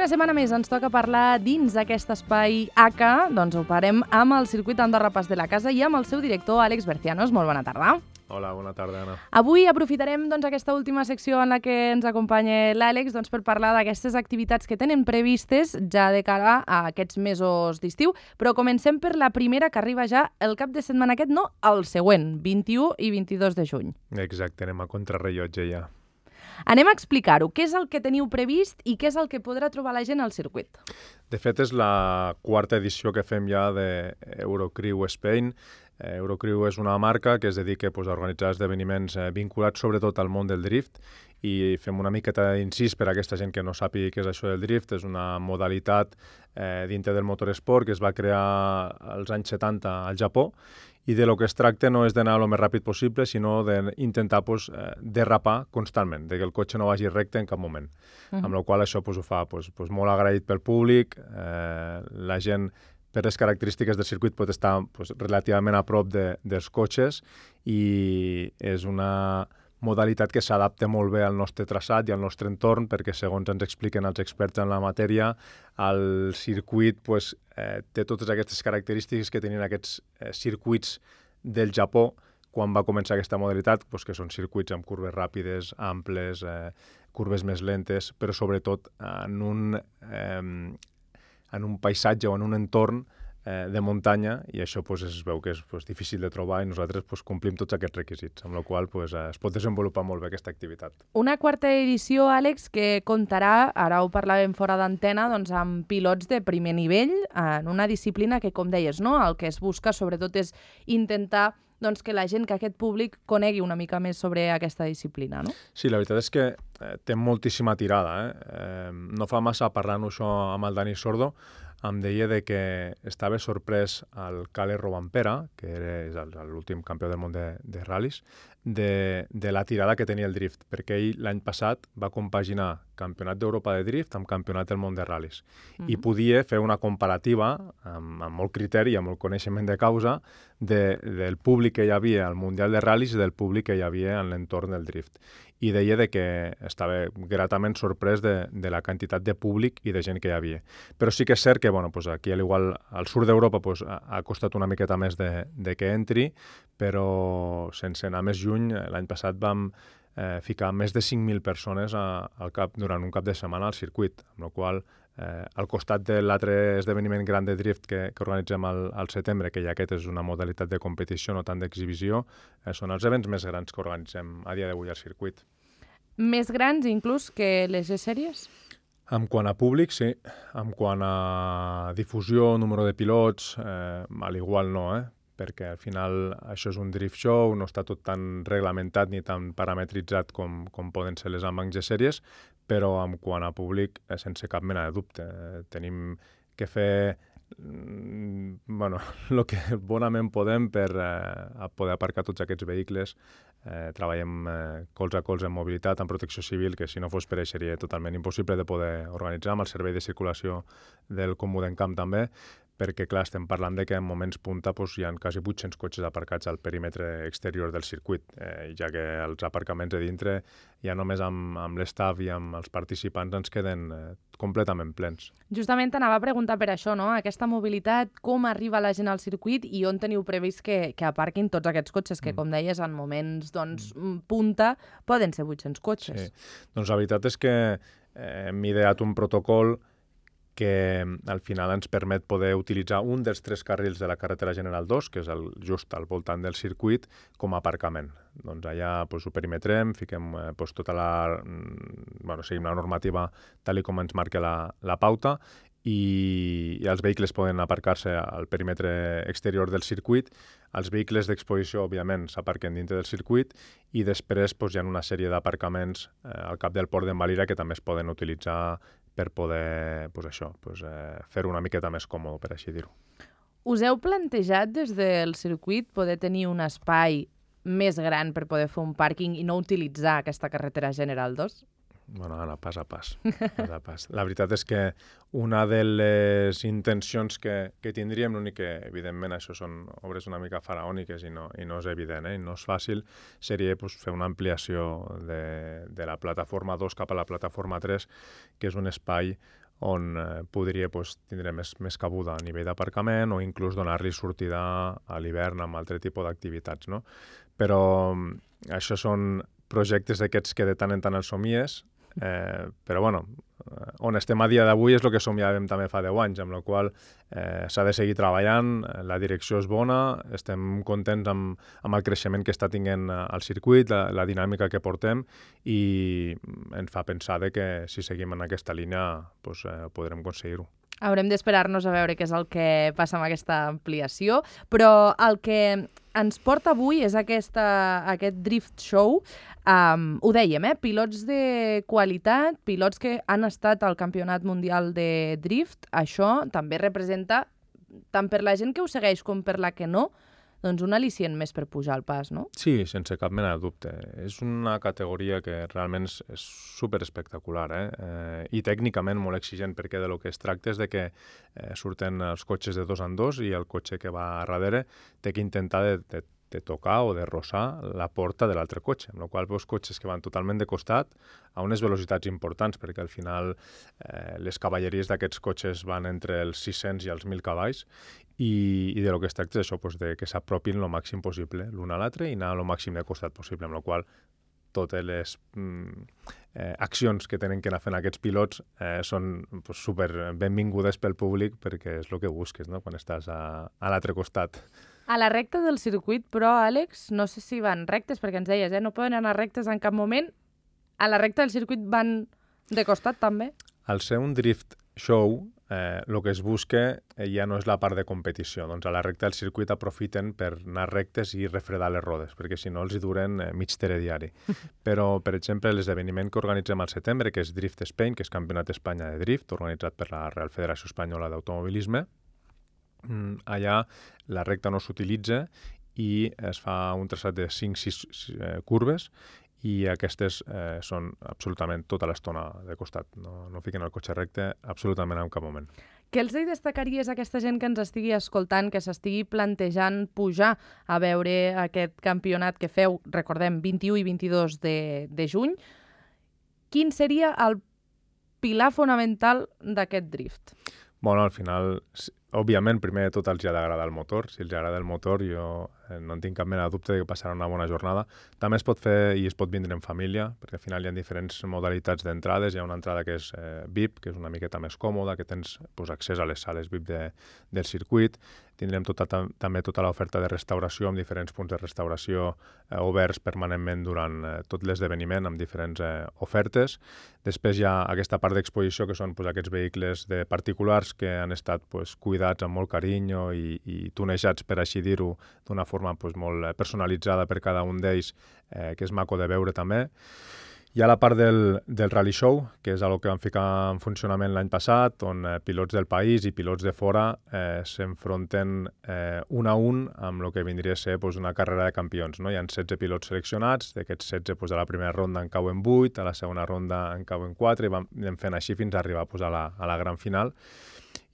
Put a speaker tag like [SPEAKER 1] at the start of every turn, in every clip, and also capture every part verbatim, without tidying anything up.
[SPEAKER 1] una setmana més ens toca parlar dins d'aquest espai A C A, doncs ho farem amb el circuit Andorra Pas de la Casa i amb el seu director, Àlex Bercianos. Molt bona tarda.
[SPEAKER 2] Hola, bona tarda, Anna.
[SPEAKER 1] Avui aprofitarem doncs, aquesta última secció en la que ens acompanya l'Àlex doncs, per parlar d'aquestes activitats que tenen previstes ja de cara a aquests mesos d'estiu, però comencem per la primera que arriba ja el cap de setmana aquest, no, el següent, vint-i-u i vint-i-dos de juny.
[SPEAKER 2] Exacte, anem a contrarrellotge ja.
[SPEAKER 1] Anem a explicar-ho. Què és el que teniu previst i què és el que podrà trobar la gent al circuit?
[SPEAKER 2] De fet, és la quarta edició que fem ja d'Eurocrew Spain. Eurocrew és una marca que es dedica pues, a organitzar esdeveniments eh, vinculats sobretot al món del drift i fem una miqueta d'incís per a aquesta gent que no sàpiga què és això del drift. És una modalitat eh, dintre del motoresport que es va crear als anys setanta al Japó i de lo que es tracta no és d'anar el més ràpid possible, sinó d'intentar pues, eh, derrapar constantment, de que el cotxe no vagi recte en cap moment. Uh-huh. Amb la qual cosa això pues, ho fa pues, pues, molt agraït pel públic, eh, la gent per les característiques del circuit pot estar pues, relativament a prop de, dels cotxes i és una modalitat que s'adapta molt bé al nostre traçat i al nostre entorn perquè, segons ens expliquen els experts en la matèria, el circuit pues, eh, té totes aquestes característiques que tenien aquests eh, circuits del Japó quan va començar aquesta modalitat, pues, que són circuits amb curves ràpides, amples, eh, curves més lentes, però sobretot en un, eh, en un paisatge o en un entorn eh, de muntanya, i això pues, es veu que és pues, difícil de trobar i nosaltres pues, complim tots aquests requisits, amb la qual pues, eh, es pot desenvolupar molt bé aquesta activitat.
[SPEAKER 1] Una quarta edició, Àlex, que comptarà, ara ho parlàvem fora d'antena, doncs, amb pilots de primer nivell en una disciplina que, com deies, no? El que es busca sobretot és intentar doncs, que la gent, que aquest públic conegui una mica més sobre aquesta disciplina, no?
[SPEAKER 2] Sí, la veritat és que eh, té moltíssima tirada. Eh? Eh, no fa massa parlant-ho això amb el Dani Sordo, em deia de que estava sorprès el Kalle Rovanperä, que és l'últim campió del món de, de ral·lis, de, de la tirada que tenia el drift, perquè ell l'any passat va compaginar campionat d'Europa de drift amb campionat del món de ral·lis. Uh-huh. I podia fer una comparativa amb, amb molt criteri, amb molt coneixement de causa, de, del públic que hi havia al Mundial de Ral·lis i del públic que hi havia en l'entorn del drift. I deia de que estava gratament sorprès de, de la quantitat de públic i de gent que hi havia. Però sí que és cert que bueno, pues aquí, al igual, al sud d'Europa pues, ha, ha costat una miqueta més de, de que entri, però sense anar més lluny, l'any passat vam eh, ficar més de cinc mil persones a, al cap, durant un cap de setmana al circuit, amb la qual Eh, al costat de l'altre esdeveniment gran de drift que, que organitzem al, al setembre, que ja aquest és una modalitat de competició, no tant d'exhibició, eh, són els events més grans que organitzem a dia d'avui al circuit.
[SPEAKER 1] Més grans inclús que les E-Sèries?
[SPEAKER 2] En quant a públic, sí. En quant a difusió, número de pilots, eh, al igual no, eh? perquè al final això és un drift show, no està tot tan reglamentat ni tan parametritzat com, com poden ser les amb G-Sèries, però en quant a públic, eh, sense cap mena de dubte. Eh, tenim que fer mm, bueno, el que bonament podem per eh, poder aparcar tots aquests vehicles. Eh, treballem eh, colze a colze en mobilitat, en protecció civil, que si no fos per això seria totalment impossible de poder organitzar, amb el servei de circulació del Comú d'Encamp també, perquè, clar, estem parlant de que en moments punta doncs, hi ha quasi vuit-cents cotxes aparcats al perímetre exterior del circuit, eh, ja que els aparcaments de dintre ja només amb, amb l'estaf i amb els participants ens queden eh, completament plens. Justament
[SPEAKER 1] t'anava a preguntar per això, no? Aquesta mobilitat, com arriba la gent al circuit i on teniu previst que, que aparquin tots aquests cotxes, que, mm. com deies, en moments doncs, mm. punta poden ser vuit-cents cotxes.
[SPEAKER 2] Sí. Doncs la veritat és que eh, hem ideat un protocol que al final ens permet poder utilitzar un dels tres carrils de la carretera General dos, que és el, just al voltant del circuit, com a aparcament. Doncs allà pues, ho perimetrem, fiquem eh, pues, tota la... Bueno, seguim la normativa tal com ens marca la, la pauta i, i els vehicles poden aparcar-se al perímetre exterior del circuit. Els vehicles d'exposició, òbviament, s'aparquen dintre del circuit i després pues, hi ha una sèrie d'aparcaments eh, al cap del port d'Envalira que també es poden utilitzar per poder pues això, pues, eh, fer-ho una miqueta més còmode, per així dir-ho.
[SPEAKER 1] Us heu plantejat des del circuit poder tenir un espai més gran per poder fer un pàrquing i no utilitzar aquesta carretera General dos?
[SPEAKER 2] Bueno, Anna, pas a pas, pas a pas. La veritat és que una de les intencions que, que tindríem, l'únic que, evidentment, això són obres una mica faraòniques i no, i no és evident, eh? I no és fàcil, seria pues, fer una ampliació de, de la plataforma dos cap a la plataforma tres, que és un espai on eh, podria pues, tindre més, més cabuda a nivell d'aparcament o inclús donar-li sortida a l'hivern amb altre tipus d'activitats, no? Però això són projectes d'aquests que de tant en tant els somies, eh, però bueno, on estem a dia d'avui és el que somiàvem també fa deu anys, amb la qual eh, s'ha de seguir treballant, la direcció és bona, estem contents amb, amb el creixement que està tinguent el circuit, la, la dinàmica que portem, i ens fa pensar de que si seguim en aquesta línia pues, eh, podrem aconseguir-ho.
[SPEAKER 1] Haurem d'esperar-nos a veure què és el que passa amb aquesta ampliació, però el que ens porta avui és aquesta, aquest Drift Show. Um, ho dèiem, eh? Pilots de qualitat, pilots que han estat al Campionat Mundial de Drift. Això també representa, tant per la gent que ho segueix com per la que no, doncs un al·licient més per pujar al pas, no?
[SPEAKER 2] Sí, sense cap mena de dubte. És una categoria que realment és, és superespectacular, eh? eh? I tècnicament molt exigent, perquè de lo que es tracta és de que eh, surten els cotxes de dos en dos i el cotxe que va a darrere té que intentar de, de, de tocar o de rossar la porta de l'altre cotxe, amb la qual veus cotxes que van totalment de costat a unes velocitats importants, perquè al final eh, les cavalleries d'aquests cotxes van entre els sis-cents i els mil cavalls, i, i de lo que es tracta és això, pues, de que s'apropin el màxim possible l'un a l'altre i anar el màxim de costat possible, amb la qual totes les mm, eh, accions que tenen que anar fent aquests pilots eh, són pues, super benvingudes pel públic, perquè és el que busques, no?, quan estàs a, a l'altre costat.
[SPEAKER 1] A la recta del circuit, però, Àlex, no sé si van rectes, perquè ens deies, eh, no poden anar rectes en cap moment. A la recta del circuit van de costat, també?
[SPEAKER 2] Al ser un drift show, eh, el que es busca eh, ja no és la part de competició. Doncs a la recta del circuit aprofiten per anar rectes i refredar les rodes, perquè si no els hi duren eh, mig telediari. Però, per exemple, l'esdeveniment que organitzem al setembre, que és Drift Spain, que és Campionat d'Espanya de Drift, organitzat per la Real Federació Espanyola d'Automobilisme, allà la recta no s'utilitza i es fa un traçat de cinc sis eh, curves, i aquestes eh, són absolutament tota l'estona de costat. No, no fiquen el cotxe recte absolutament en cap moment.
[SPEAKER 1] Què els hi destacaries a aquesta gent que ens estigui escoltant, que s'estigui plantejant pujar a veure aquest campionat que feu, recordem, vint-i-u i vint-i-dos de, de juny? Quin seria el pilar fonamental d'aquest drift?
[SPEAKER 2] Bueno, al final, òbviament, primer de tot els ha d'agradar el motor. Si els agrada el motor, jo no en tinc cap mena de dubte de que passarà una bona jornada. També es pot fer i es pot vindre en família, perquè al final hi ha diferents modalitats d'entrades. Hi ha una entrada que és eh, V I P, que és una miqueta més còmoda, que tens pues, accés a les sales V I P de, del circuit. Tindrem tota, tam, també tota l'oferta de restauració, amb diferents punts de restauració eh, oberts permanentment durant eh, tot l'esdeveniment, amb diferents eh, ofertes. Després hi ha aquesta part d'exposició, que són pues, aquests vehicles de particulars que han estat pues, cuidats amb molt carinyo i, i tunejats, per així dir-ho, d'una forma pues, molt personalitzada per cada un d'ells, eh, que és maco de veure també. Hi ha la part del, del Rally Show, que és el que vam ficar en funcionament l'any passat, on eh, pilots del país i pilots de fora eh, s'enfronten eh, un a un amb el que vindria a ser pues, una carrera de campions. No? Hi ha setze pilots seleccionats, d'aquests setze pues, a la primera ronda en cauen vuit, a la segona ronda en cauen quatre, i vam anem fent així fins a arribar pues, a, la, a la gran final.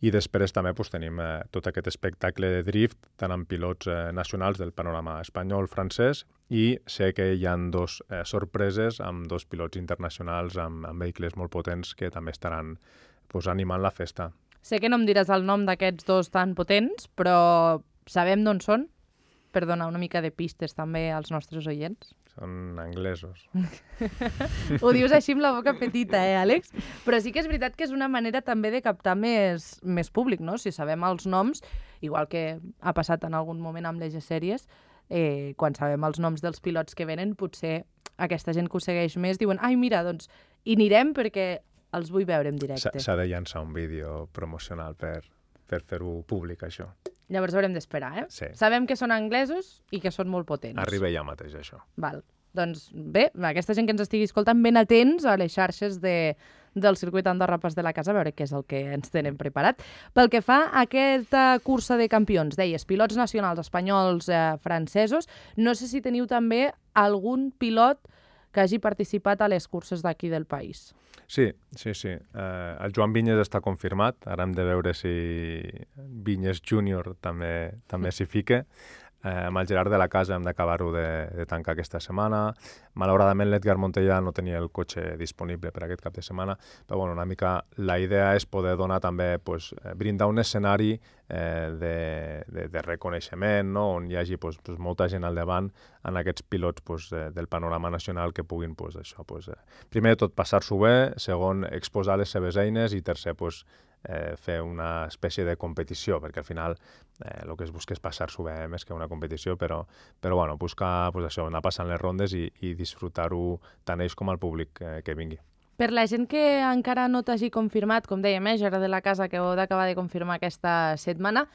[SPEAKER 2] I després també pues, tenim eh, tot aquest espectacle de drift, tant amb pilots eh, nacionals del panorama espanyol, francès, i sé que hi ha dos eh, sorpreses amb dos pilots internacionals amb, amb vehicles molt potents que també estaran pues, animant la festa.
[SPEAKER 1] Sé que no em diràs el nom d'aquests dos tan potents, però sabem d'on són? Per donar una mica de pistes també als nostres oients.
[SPEAKER 2] Són anglesos.
[SPEAKER 1] Ho dius així amb la boca petita, eh, Àlex? Però sí que és veritat que és una manera també de captar més, més públic, no? Si sabem els noms, igual que ha passat en algun moment amb les sèries, eh, quan sabem els noms dels pilots que venen, potser aquesta gent que ho segueix més diuen ai, mira, doncs hi anirem perquè els vull veure en directe.
[SPEAKER 2] S'ha de llançar un vídeo promocional per, per fer-ho públic, això.
[SPEAKER 1] Llavors haurem d'esperar, eh?
[SPEAKER 2] Sí.
[SPEAKER 1] Sabem que són anglesos i que són molt potents.
[SPEAKER 2] Arriba ja mateix, això.
[SPEAKER 1] Val. Doncs bé, aquesta gent que ens estigui escoltant, ben atents a les xarxes de, del circuit Andorra Pas de la Casa, a veure què és el que ens tenen preparat. Pel que fa a aquesta cursa de campions, deies, pilots nacionals espanyols, eh, francesos, no sé si teniu també algun pilot que hagi participat a les curses d'aquí del país.
[SPEAKER 2] Sí, sí, sí. Eh, el Joan Vinyes està confirmat. Ara hem de veure si Vinyes júnior també, també s'hi fica. eh, amb el Gerard de la Casa hem d'acabar-ho de, de tancar aquesta setmana. Malauradament l'Edgar Montellà no tenia el cotxe disponible per aquest cap de setmana, però bueno, una mica la idea és poder donar també, pues, brindar un escenari eh, de, de, de reconeixement, no? On hi hagi pues, pues, molta gent al davant en aquests pilots pues, eh, del panorama nacional que puguin pues, això, pues, eh, primer de tot passar-s'ho bé, segon exposar les seves eines i tercer pues, eh, fer una espècie de competició, perquè al final eh, el que es busca és passar-s'ho bé, eh, més que una competició, però, però bueno, buscar pues, això, anar passant les rondes i, i disfrutar-ho tant ells com el públic eh, que vingui.
[SPEAKER 1] Per la gent que encara no t'hagi confirmat, com dèiem, eh, Gerard de la Casa, que heu d'acabar de confirmar aquesta setmana,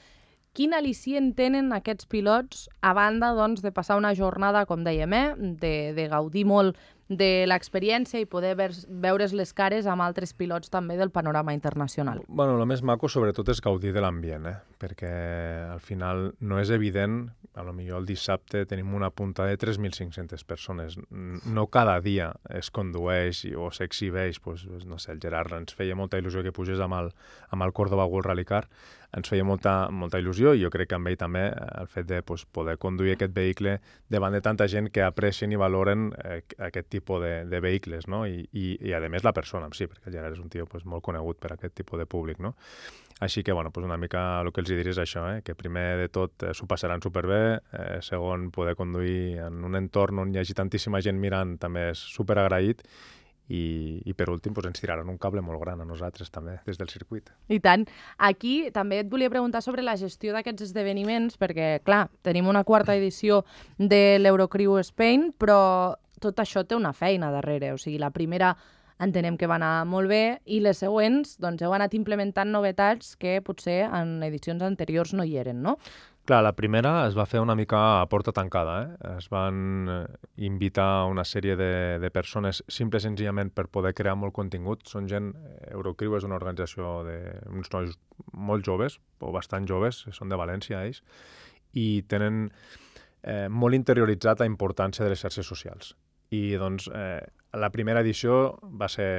[SPEAKER 1] quin al·licient tenen aquests pilots a banda doncs, de passar una jornada, com dèiem, eh, de, de gaudir molt de l'experiència i poder veure's les cares amb altres pilots també del panorama internacional?
[SPEAKER 2] Bueno, el més maco sobretot és gaudir de l'ambient, eh? Perquè al final no és evident, a lo millor el dissabte tenim una punta de tres mil cinc-centes persones. No cada dia es condueix o s'exhibeix, pues, no sé, el Gerard ens feia molta il·lusió que pugés amb el, amb el Córdoba World Rally Car, ens feia molta, molta il·lusió i jo crec que amb ell també el fet de pues, poder conduir aquest vehicle davant de tanta gent que aprecien i valoren eh, aquest tipus de, de vehicles, no? I, i, i a més la persona en si, perquè el Gerard és un tio pues, molt conegut per aquest tipus de públic, no? Així que, bueno, pues una mica el que els diré és això, eh? Que primer de tot eh, s'ho passaran superbé, eh, segon, poder conduir en un entorn on hi hagi tantíssima gent mirant també és superagraït. I, i per últim pues, ens tiraran un cable molt gran a nosaltres també, des del circuit.
[SPEAKER 1] I tant. Aquí també et volia preguntar sobre la gestió d'aquests esdeveniments, perquè, clar, tenim una quarta edició de l'Eurocrew Spain, però tot això té una feina darrere. O sigui, la primera entenem que va anar molt bé i les següents doncs, heu anat implementant novetats que potser en edicions anteriors no hi eren, no?
[SPEAKER 2] Clar, la primera es va fer una mica a porta tancada. Eh? Es van invitar una sèrie de, de persones simple i senzillament per poder crear molt contingut. Són gent... Eurocrew és una organització d'uns nois molt joves, o bastant joves, són de València ells, i tenen eh, molt interioritzat la importància de les xarxes socials. I doncs eh, la primera edició va ser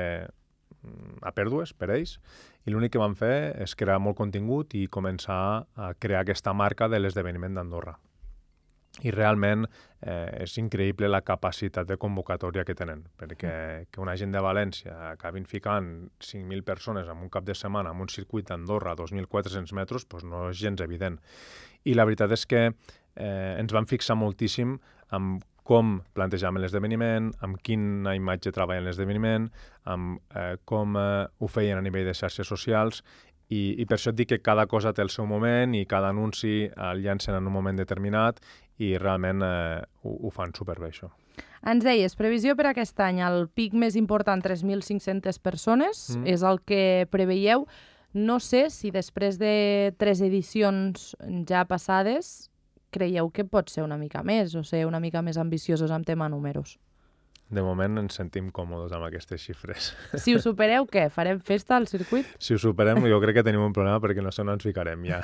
[SPEAKER 2] a pèrdues per ells, i l'únic que van fer és crear molt contingut i començar a crear aquesta marca de l'esdeveniment d'Andorra. I realment eh, és increïble la capacitat de convocatòria que tenen, perquè que una gent de València acabin ficant cinc mil persones en un cap de setmana en un circuit d'Andorra a dos mil quatre-cents metres doncs no és gens evident. I la veritat és que eh, ens vam fixar moltíssim amb com plantejaven l'esdeveniment, amb quina imatge treballen l'esdeveniment, amb eh, com eh, ho feien a nivell de xarxes socials, i, i per això et dic que cada cosa té el seu moment i cada anunci el llancen en un moment determinat i realment eh, ho, ho fan superbé, això.
[SPEAKER 1] Ens deies, previsió per aquest any, el pic més important, tres mil cinc-centes persones, mm. és el que preveieu. No sé si després de tres edicions ja passades creieu que pot ser una mica més o ser una mica més ambiciosos amb tema números?
[SPEAKER 2] De moment ens sentim còmodes amb aquestes xifres.
[SPEAKER 1] Si ho supereu, què? Farem festa al circuit?
[SPEAKER 2] Si ho superem, jo crec que tenim un problema perquè no sé on ens ficarem ja.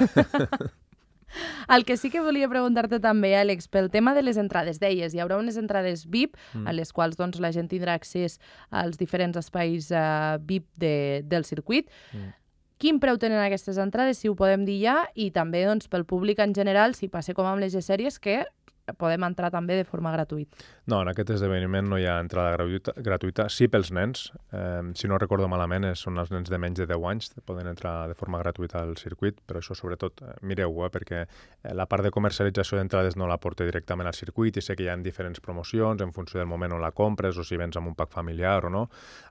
[SPEAKER 1] El que sí que volia preguntar-te també, Àlex, pel tema de les entrades. Deies, hi haurà unes entrades V I P, mm. a les quals doncs, la gent tindrà accés als diferents espais uh, V I P de, del circuit. Mm. Quin preu tenen aquestes entrades, si ho podem dir ja, i també doncs, pel públic en general, si passa com amb les G-Sèries, que podem entrar també de forma gratuïta?
[SPEAKER 2] No, en aquest esdeveniment no hi ha entrada gratuïta, gratuïta. Sí pels nens, eh, si no recordo malament, són els nens de menys de deu anys, poden entrar de forma gratuïta al circuit, però això sobretot eh, mireu-ho, eh, perquè la part de comercialització d'entrades no la porta directament al circuit i sé que hi ha diferents promocions en funció del moment on la compres o si vens amb un pack familiar o no,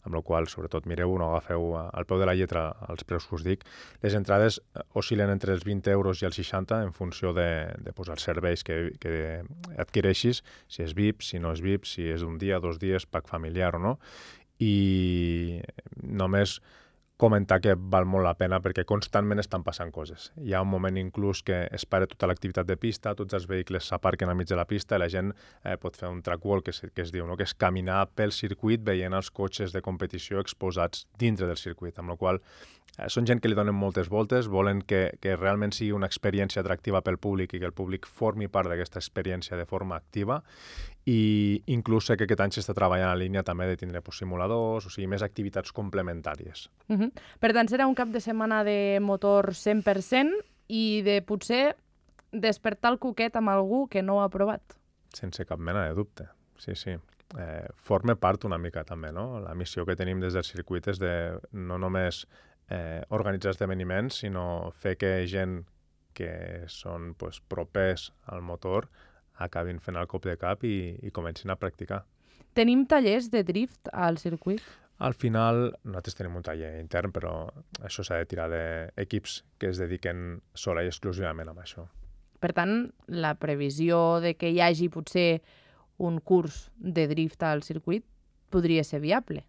[SPEAKER 2] amb la qual sobretot mireu-ho, no agafeu al peu de la lletra els preus que us dic. Les entrades oscil·len entre els vint euros i els seixanta en funció de, de pues, els serveis que, que adquireixis, si és V I P, si no és V I P, si és un dia, dos dies, pack familiar o no. I només comentar que val molt la pena perquè constantment estan passant coses. Hi ha un moment inclús que es para tota l'activitat de pista, tots els vehicles s'aparquen al mig de la pista i la gent eh, pot fer un track walk, que es, que es diu, no? Que és caminar pel circuit veient els cotxes de competició exposats dintre del circuit, amb la qual eh, són gent que li donen moltes voltes, volen que, que realment sigui una experiència atractiva pel públic i que el públic formi part d'aquesta experiència de forma activa. I inclús sé que aquest any s'està treballant en línia també de tindre pues, simuladors, o sigui, més activitats complementàries.
[SPEAKER 1] Uh-huh. Per tant, serà un cap de setmana de motor cent per cent i de potser despertar el coquet amb algú que no ho ha provat.
[SPEAKER 2] Sense cap mena de dubte, sí, sí. Eh, forma part una mica també, no? La missió que tenim des del circuit és de no només eh, organitzar esdeveniments, sinó fer que gent que són pues, propers al motor acabin fent el cop de cap i, i comencin a practicar.
[SPEAKER 1] Tenim tallers de drift al circuit?
[SPEAKER 2] Al final, nosaltres tenim un taller intern, però això s'ha de tirar d'equips que es dediquen sola i exclusivament a això.
[SPEAKER 1] Per tant, la previsió de que hi hagi potser un curs de drift al circuit podria ser viable.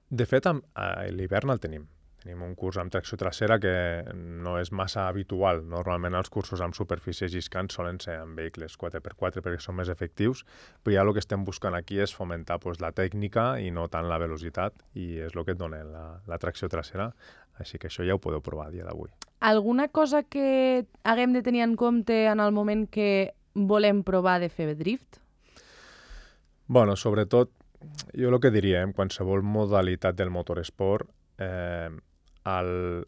[SPEAKER 2] De fet, a l'hivern el tenim. Tenim un curs amb tracció trasera que no és massa habitual. Normalment els cursos amb superfícies lliscants solen ser amb vehicles quatre per quatre perquè són més efectius, però ja el que estem buscant aquí és fomentar pues, la tècnica i no tant la velocitat, i és el que et dona la, la tracció trasera. Així que això ja ho podeu provar a dia d'avui.
[SPEAKER 1] Alguna cosa que haguem de tenir en compte en el moment que volem provar de fer drift?
[SPEAKER 2] Bueno, sobretot, jo el que diria, en qualsevol modalitat del motoresport, eh, el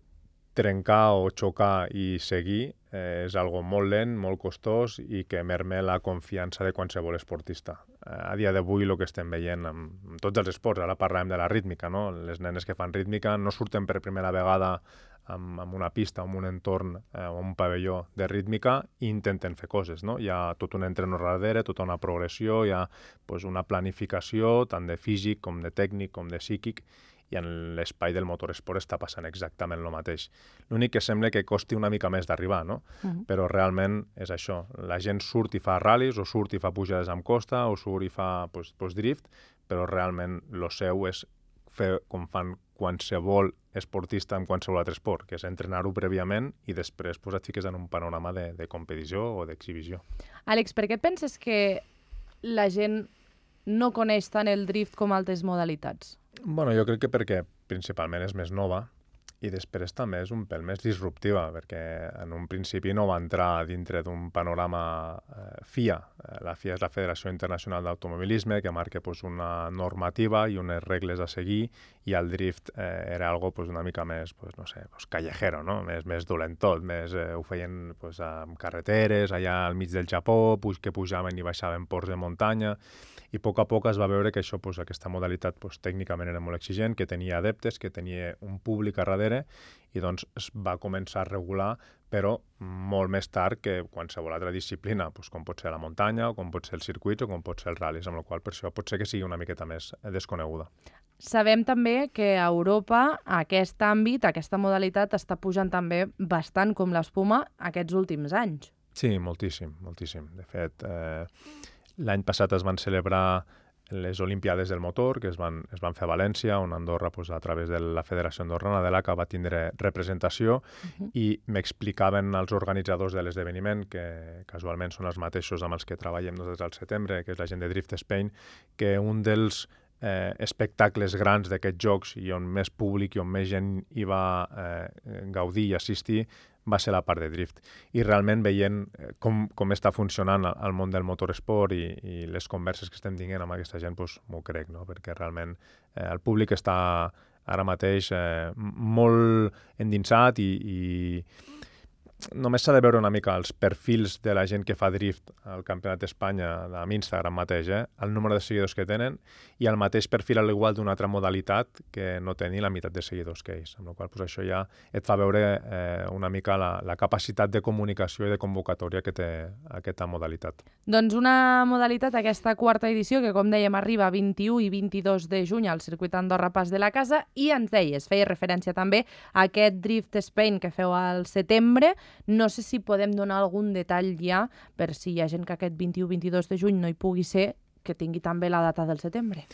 [SPEAKER 2] trencar o xocar i seguir eh, és algo molt lent, molt costós i que merme la confiança de qualsevol esportista. Eh, a dia d'avui el que estem veient amb, amb tots els esports, ara parlàvem de la rítmica, no? Les nenes que fan rítmica no surten per primera vegada amb, amb una pista, amb un entorn eh, o un pavelló de rítmica i intenten fer coses, no? Hi ha tot un entreno darrere, tota una progressió, hi ha pues, una planificació tant de físic com de tècnic com de psíquic, i en l'espai del motoresport està passant exactament el mateix. L'únic que sembla que costi una mica més d'arribar, no? Uh-huh. Però realment és això. La gent surt i fa ral·lis, o surt i fa pujades amb costa, o surt i fa pues, pues, drift, però realment el seu és fer com fan qualsevol esportista en qualsevol altre esport, que és entrenar-ho prèviament i després pues, et fiques en un panorama de, de competició o d'exhibició.
[SPEAKER 1] Àlex, per què penses que la gent no coneix tant el drift com altres modalitats?
[SPEAKER 2] Bueno, jo crec que perquè principalment és més nova i després també és un pèl més disruptiva, perquè en un principi no va entrar dintre d'un panorama eh, F I A. La F I A és la Federació Internacional d'Automobilisme, que marca pues, una normativa i unes regles a seguir, i el drift eh, era algo pues, una mica més, pues, no sé, pues, callejero, no? més, més dolentot, més, eh, ho feien pues, amb carreteres, allà al mig del Japó, pues, que pujaven i baixaven ports de muntanya, i a poc a poc es va veure que això, pues, aquesta modalitat pues, tècnicament era molt exigent, que tenia adeptes, que tenia un públic a darrere, i doncs es va començar a regular, però molt més tard que qualsevol altra disciplina, doncs com pot ser la muntanya, o com pot ser els circuits, o com pot ser els ral·lis, amb la qual per això pot ser que sigui una miqueta més desconeguda.
[SPEAKER 1] Sabem també que a Europa aquest àmbit, aquesta modalitat, està pujant també bastant com l'espuma aquests últims anys.
[SPEAKER 2] Sí, moltíssim, moltíssim. De fet, eh, l'any passat es van celebrar les Olimpiades del motor, que es van, es van fer a València, on Andorra, pues, a través de la Federació Andorrana de l'A C A, va tindre representació, uh-huh. i m'explicaven els organitzadors de l'esdeveniment, que casualment són els mateixos amb els que treballem nosaltres al setembre, que és la gent de Drift Spain, que un dels eh, espectacles grans d'aquests jocs i on més públic i on més gent hi va eh, gaudir i assistir va ser la part de drift. I realment veient com, com està funcionant el món del motoresport i, i les converses que estem tinguent amb aquesta gent, doncs m'ho crec, no? Perquè realment eh, el públic està ara mateix eh, molt endinsat i, i només s'ha de veure una mica els perfils de la gent que fa drift al Campionat d'Espanya, amb Instagram mateix, eh? El número de seguidors que tenen i el mateix perfil a l'igual d'una altra modalitat que no té ni la meitat de seguidors que ells, amb la qual cosa això ja et fa veure eh, una mica la, la capacitat de comunicació i de convocatòria que té aquesta modalitat.
[SPEAKER 1] Doncs una modalitat, aquesta quarta edició, que com dèiem arriba vint-i-u i vint-i-dos de juny al circuit Andorra Pas de la Casa, i ens deies, feia referència també a aquest Drift Spain que feu al setembre. No sé si podem donar algun detall ja per si hi ha gent que aquest vint-i-u vint-i-dos de juny no hi pugui ser, que tingui també la data del setembre.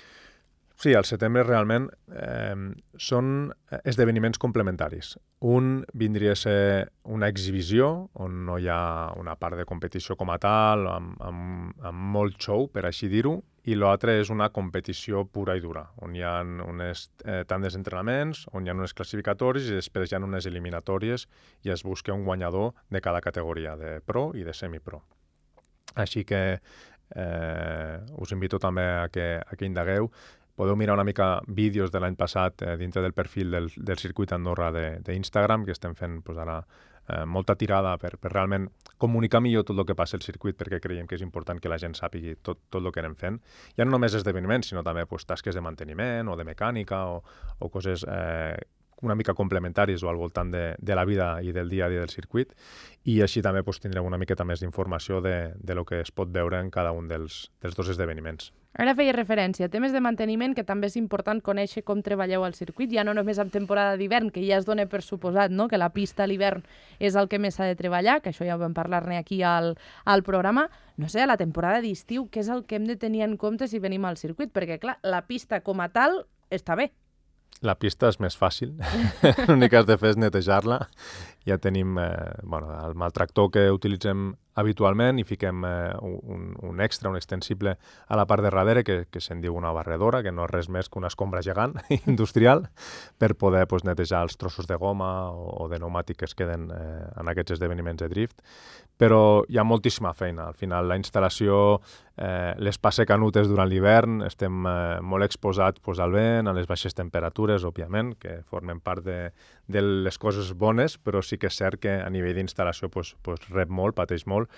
[SPEAKER 2] Sí, al setembre realment eh, són esdeveniments complementaris. Un vindria a ser una exhibició on no hi ha una part de competició com a tal, amb, amb, amb molt show, per així dir-ho, i l'altre és una competició pura i dura, on hi ha unes eh, tandes d'entrenaments, on hi ha unes classificatòries i després hi ha unes eliminatòries i es busca un guanyador de cada categoria, de pro i de semipro. Així que eh, us invito també a que, a que indagueu. Podeu mirar una mica vídeos de l'any passat eh, dintre del perfil del, del circuit Andorra d'Instagram, que estem fent pues, ara eh, molta tirada per, per realment comunicar millor tot el que passa al circuit, perquè creiem que és important que la gent sàpigui tot, tot el que anem fent. Ja no només esdeveniments, sinó també pues, tasques de manteniment o de mecànica o, o coses eh, una mica complementaris o al voltant de, de la vida i del dia a dia del circuit, i així també pues, tindrem una miqueta més d'informació de, de lo que es pot veure en cada un dels, dels dos esdeveniments.
[SPEAKER 1] Ara feia referència a temes de manteniment, que també és important conèixer com treballeu al circuit, ja no només en temporada d'hivern, que ja es dona per suposat, no?, que la pista a l'hivern és el que més s'ha de treballar, que això ja ho vam parlar-ne aquí al, al programa. No sé, a la temporada d'estiu, què és el que hem de tenir en compte si venim al circuit? Perquè, clar, la pista com a tal està bé.
[SPEAKER 2] La pista és més fàcil, l'únic que has de fer és netejar-la. Ja tenim eh, bueno, el maltractor que utilitzem habitualment i fiquem eh, un, un extra, un extensible a la part de darrere que, que se'n diu una barredora, que no és res més que una escombra gegant industrial, per poder pues, netejar els trossos de goma o, o de pneumàtic que es queden eh, en aquests esdeveniments de drift. Però hi ha moltíssima feina. Al final, la instal·lació eh, les passa canutes durant l'hivern, estem eh, molt exposats pues, al vent, a les baixes temperatures, òbviament, que formen part de, de les coses bones, però sí que és cert que a nivell d'instal·lació pues, pues, rep molt, pateix molt,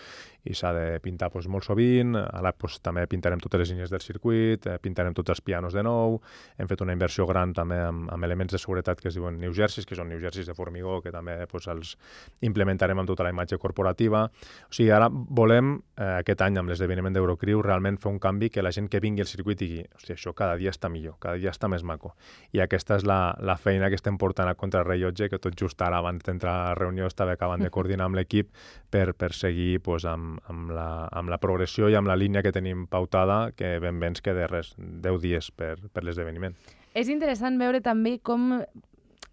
[SPEAKER 2] i s'ha de pintar pues, molt sovint. Ara pues, també pintarem totes les línies del circuit, eh, pintarem tots els pianos de nou, hem fet una inversió gran també amb, amb elements de seguretat que es diuen New Jerseys, que són New Jerseys de formigó, que també pues, els implementarem amb tota la imatge corporativa. O sigui, ara volem, eh, aquest any amb l'esdeveniment d'Eurocrew, realment fer un canvi que la gent que vingui al circuit digui, hòstia, això cada dia està millor, cada dia està més maco. I aquesta és la, la feina que estem portant a contrarrellotge, que tot just ara, abans d'entrar a la reunió, estava acabant de coordinar amb l'equip per, per seguir pues, amb, amb, la, amb la progressió i amb la línia que tenim pautada, que ben bé ens queda res, deu dies per, per l'esdeveniment.
[SPEAKER 1] És interessant veure també com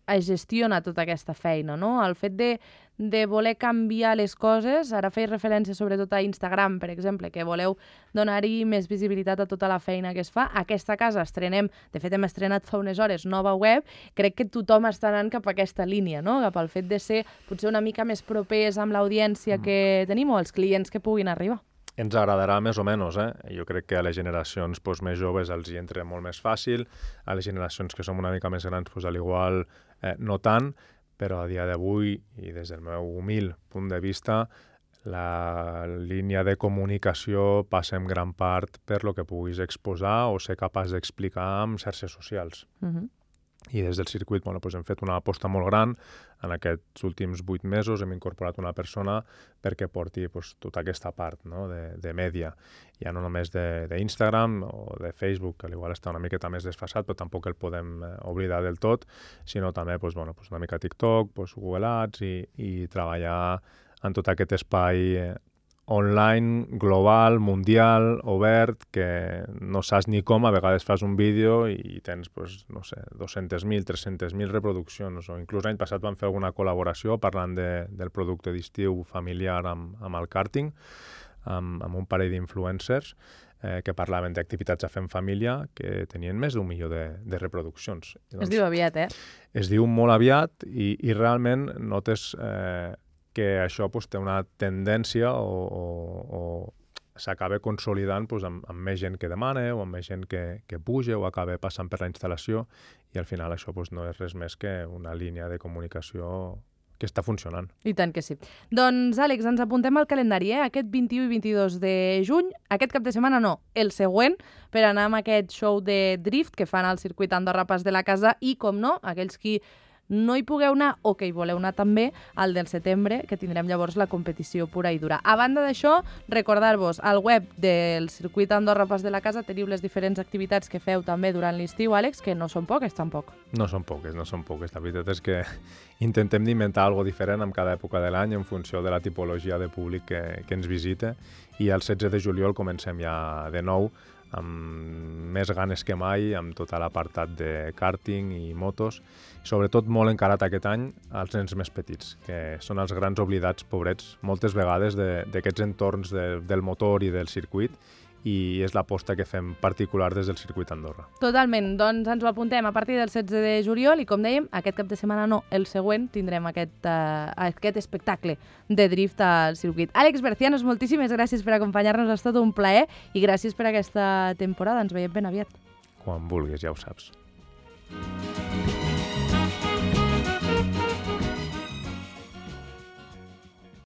[SPEAKER 1] es gestiona tota aquesta feina, no? El fet de, de voler canviar les coses, ara feia referència sobretot a Instagram, per exemple, que voleu donar-hi més visibilitat a tota la feina que es fa. Aquesta casa estrenem, de fet hem estrenat fa unes hores, nova web, crec que tothom està anant cap a aquesta línia, no? Cap al fet de ser potser una mica més propers amb l'audiència mm. que tenim o els clients que puguin arribar.
[SPEAKER 2] Ens agradarà més o menys, eh? Jo crec que a les generacions pues, més joves els hi entra molt més fàcil, a les generacions que som una mica més grans, pues, al igual eh, no tant, però a dia d'avui, i des del meu humil punt de vista, la línia de comunicació passa en gran part per lo que puguis exposar o ser capaç d'explicar amb xarxes socials. Uh-huh. I des del circuit bueno, doncs hem fet una aposta molt gran. En aquests últims vuit mesos hem incorporat una persona perquè porti doncs, tota aquesta part no? de, de mèdia. Ja no només d'Instagram o de Facebook, que igual està una miqueta més desfasat, però tampoc el podem eh, oblidar del tot, sinó també doncs, bueno, doncs una mica TikTok, doncs Google Ads i, i treballar en tot aquest espai eh, online, global, mundial, obert, que no saps ni com, a vegades fas un vídeo i tens, pues, no sé, dos-centes mil, tres-centes mil reproduccions, o inclús l'any passat vam fer alguna col·laboració parlant de, del producte d'estiu familiar amb, amb el karting, amb, amb un parell d'influencers, eh, que parlaven d'activitats a fer en família, que tenien més d'un milió de, de reproduccions.
[SPEAKER 1] Doncs, es diu aviat, eh?
[SPEAKER 2] Es diu molt aviat i, i realment notes... Eh, que això pues, té una tendència o, o, o s'acaba consolidant pues, amb, amb més gent que demana o amb més gent que, que puja o acaba passant per la instal·lació i al final això pues, no és res més que una línia de comunicació que està funcionant.
[SPEAKER 1] I tant que sí. Doncs, Àlex, ens apuntem al calendari, eh? Aquest vint-i-u i vint-i-dos de juny, aquest cap de setmana no, el següent, per anar amb aquest show de drift que fan al circuit Andorra Pas de la Casa i, com no, aquells qui no hi pugueu anar o que hi voleu anar també, al del setembre, que tindrem llavors la competició pura i dura. A banda d'això, recordar-vos, al web del circuit Andorra Pas de la Casa teniu les diferents activitats que feu també durant l'estiu, Àlex, que no són poques, tampoc.
[SPEAKER 2] No són poques, no són poques. La veritat és que intentem d'inventar alguna cosa diferent en cada època de l'any en funció de la tipologia de públic que, que ens visita, i el setze de juliol comencem ja de nou amb més ganes que mai, amb tot l'apartat de karting i motos, sobretot molt encarat aquest any als nens més petits, que són els grans oblidats, pobrets, moltes vegades d'aquests entorns de, del motor i del circuit, i és l'aposta que fem particular des del circuit Andorra.
[SPEAKER 1] Totalment, doncs ens ho apuntem a partir del setze de juliol i, com dèiem, aquest cap de setmana no, el següent tindrem aquest, uh, aquest espectacle de drift al circuit. Àlex Bercianos, moltíssimes gràcies per acompanyar-nos, ha estat un plaer i gràcies per aquesta temporada, ens veiem ben aviat.
[SPEAKER 2] Quan vulguis, ja ho saps.